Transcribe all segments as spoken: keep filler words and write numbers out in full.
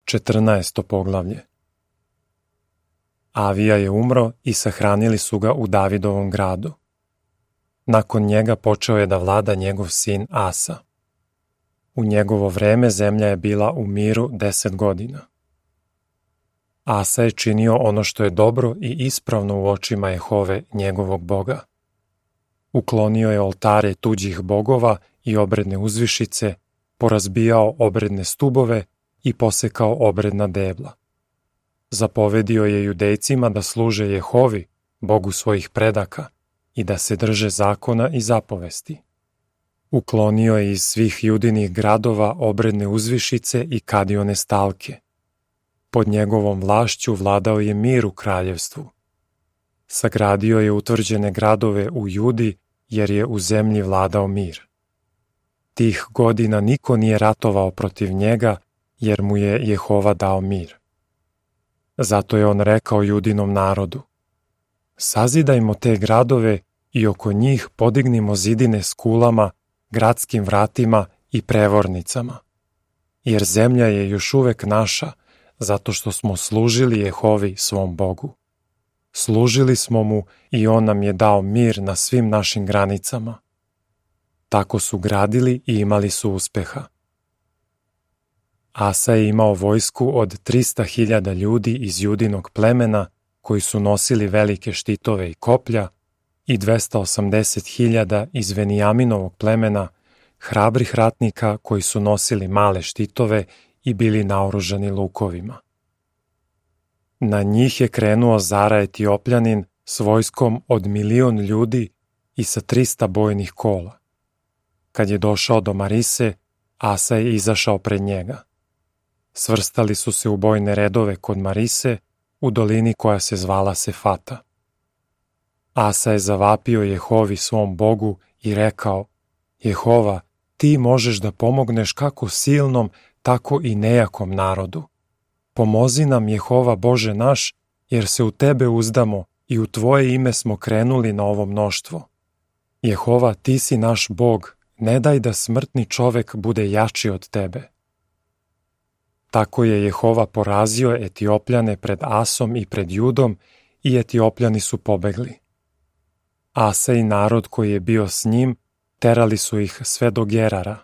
Četrnaesto poglavlje. Avija je umro i sahranili su ga u Davidovom gradu. Nakon njega počeo je da vlada njegov sin Asa. U njegovo vreme zemlja je bila u miru deset godina. Asa je činio ono što je dobro i ispravno u očima Jehove, njegovog Boga. Uklonio je oltare tuđih bogova i obredne uzvišice, porazbijao obredne stubove i posekao obredna debla. Zapovedio je Judejcima da služe Jehovi, Bogu svojih predaka, i da se drže zakona i zapovesti. Uklonio je iz svih judinih gradova obredne uzvišice i kadione stalke. Pod njegovom vlašću vladao je mir u kraljevstvu. Sagradio je utvrđene gradove u Judi, jer je u zemlji vladao mir. Tih godina niko nije ratovao protiv njega, jer mu je Jehova dao mir. Zato je on rekao Judinom narodu: sazidajmo te gradove i oko njih podignimo zidine s kulama, gradskim vratima i prevornicama. Jer zemlja je još uvek naša, zato što smo služili Jehovi svom Bogu. Služili smo mu i on nam je dao mir na svim našim granicama. Tako su gradili i imali su uspeha. Asa je imao vojsku od trista hiljada ljudi iz Judinog plemena, koji su nosili velike štitove i koplja, i dvesta osamdeset hiljada iz Venijaminovog plemena, hrabrih ratnika koji su nosili male štitove i bili naoružani lukovima. Na njih je krenuo Zara Etiopljanin s vojskom od milion ljudi i sa trista bojnih kola. Kad je došao do Marise, Asa je izašao pred njega. Svrstali su se u bojne redove kod Marise, u dolini koja se zvala Sefata. Asa je zavapio Jehovi svom Bogu i rekao: Jehova, ti možeš da pomogneš kako silnom, tako i nejakom narodu. Pomozi nam, Jehova Bože naš, jer se u tebe uzdamo i u tvoje ime smo krenuli na ovo mnoštvo. Jehova, ti si naš Bog, ne daj da smrtni čovek bude jači od tebe. Tako je Jehova porazio Etiopljane pred Asom i pred Judom i Etiopljani su pobegli. Asa i narod koji je bio s njim terali su ih sve do Gerara.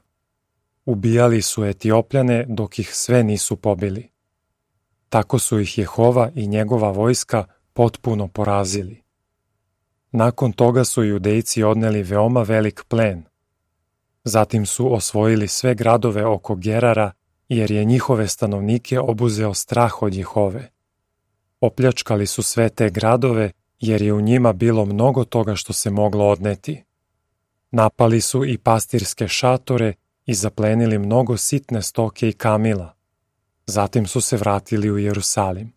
Ubijali su Etiopljane dok ih sve nisu pobili. Tako su ih Jehova i njegova vojska potpuno porazili. Nakon toga su Judejci odneli veoma velik plen. Zatim su osvojili sve gradove oko Gerara, jer je njihove stanovnike obuzeo strah od Jehove. Opljačkali su sve te gradove, jer je u njima bilo mnogo toga što se moglo odneti. Napali su i pastirske šatore i zaplenili mnogo sitne stoke i kamila. Zatim su se vratili u Jerusalim.